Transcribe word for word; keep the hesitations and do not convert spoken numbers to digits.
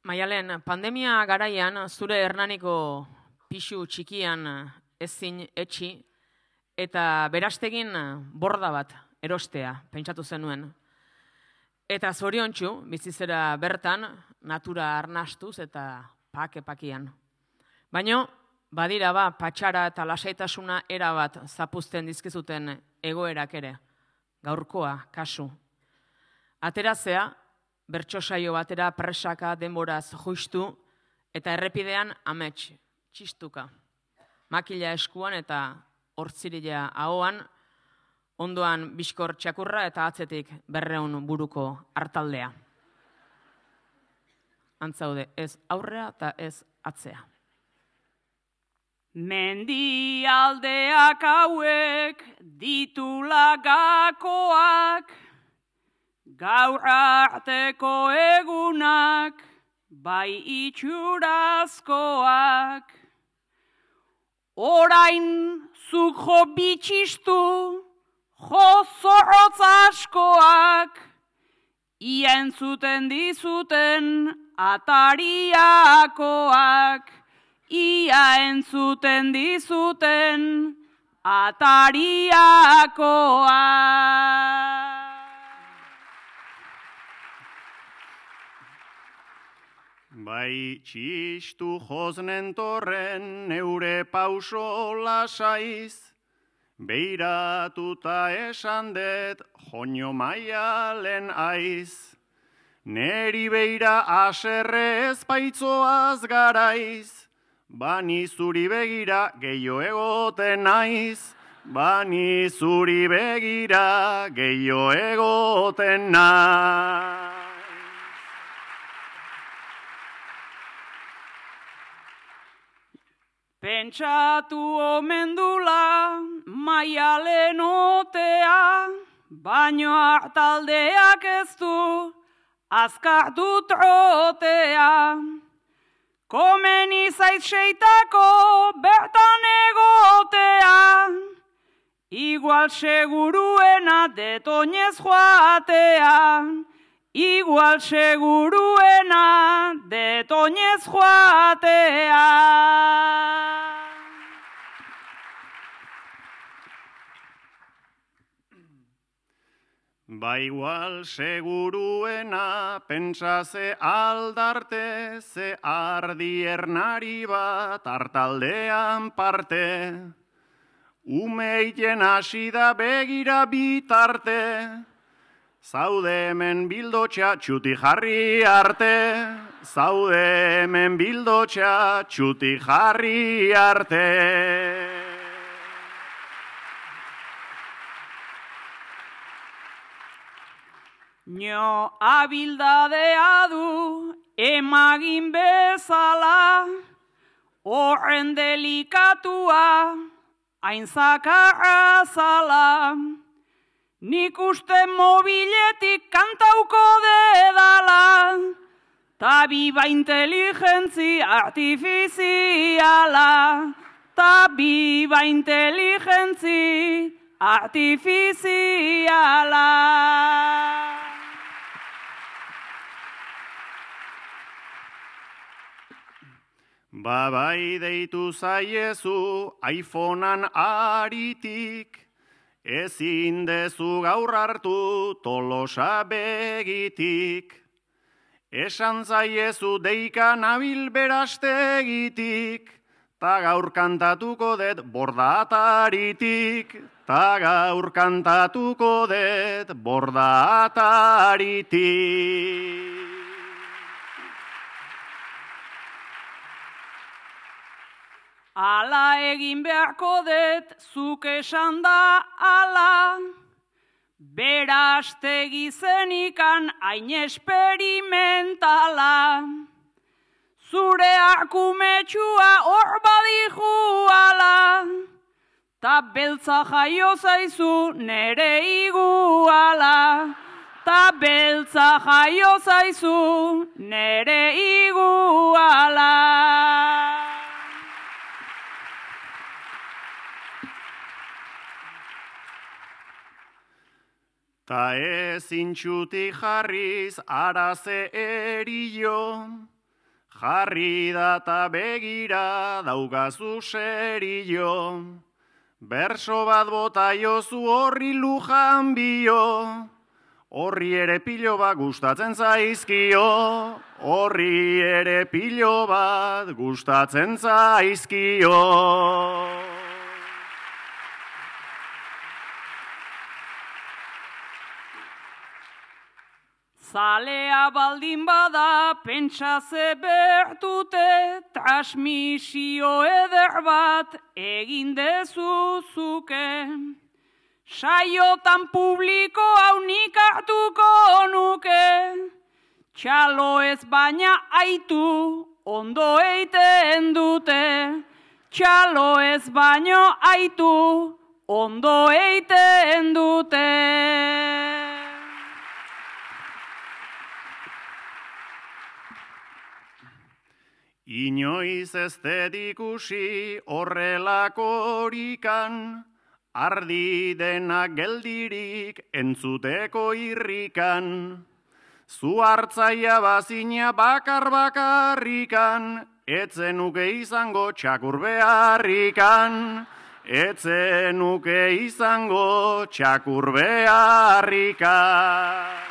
Maialen, pandemia garaian zure Hernaniko pisu txikian ezin etxi eta berastegin borda bat erostea pentsatu zenuen. Eta zoriontsu bizizera bertan natura arnastuz eta pake-pakian. Baina badira ba patxara eta lasaitasuna erabat zapuzten dizkizuten egoerak ere. Gaurkoa, kasu. Aterazea, bertso saio batera presaka denboraz justu eta errepidean amets, txistuka. Makila eskuan eta hortzirila ahoan, ondoan bizkor txakurra eta atzetik berreun buruko hartaldea. Antzaude, ez aurrea eta ez atzea. Mendialdeak hauek ditula gakoak, gaur arteko egunak, bai itxurazkoak. Orain zuk jo bitxistu, jo zorrotz askoak, ia entzuten dizuten atariakoak, ia entzuten dizuten atariakoak. Bai txistu joznen torren neure pauso lasaiz, beiratuta esan det joño Maialen aiz. Neri beira aserre ezpaitzoaz garaiz, bani zuri begira gehiago egoten naiz, bani zuri begira gehiago egoten naiz. Pentsatu omen dula Maialen otea, baino hartaldeak ez du azkartu trotea. Komeni zait seitako bertan egotea, igual seguruena detoinez joatea, igual seguruena detoinez joatea. Ba igual seguruena pentsa ze aldarte, ze ardi ernari bat hartaldean parte. Umeiten hasi da begira bitarte, zaude hemen bildotxa txuti jarri arte, zaude hemen bildotxa txuti jarri arte. Nio abildadea du emagin bezala, horren delikatua hain zakarra zala. Nik uste mobiletik kantauko dedala, ta biba inteligentzi artifiziala, ta biba inteligentzi artifiziala. Ba bai deitu zaiezu iPhonean aritik, ezin dezu gaur hartu Tolosa begitik. Esan zaiezu deika nabil berastegitik, ta gaur kantatuko det borda ataritik, ta gaur kantatuko det borda ataritik. Ala egin beharko det, zuk esan da ala, berastegi zenikan hain esperimentala. Zure arkumetsua hor badihu ala, ta beltza jaio zaizu nere iguala, ta beltza jaio zaizu nere iguala. Ta ezin txuti jarriz araze erio, Jarri data begira daukazu serio, berso bat bota jozu horri lujan bio, horri ere pilo bat gustatzen zaizkio, horri ere pilo bat gustatzen zaizkio. Zalea baldin bada pentsa ze bertute, transmisio eder bat egin dezuzuke. Saiotan publiko hau nik hartuko nuke, txalo ez baina aitu ondo eiten dute. Txalo ez baino aitu ondo eiten dute. Inoiz ez dedikusi horrelakorikan, ardi denak geldirik entzuteko irrikan. Zu hartzaia bazina bakar bakarrikan, etzenuke izango txakur beharrikan. Etzenuke izango txakur beharrikan.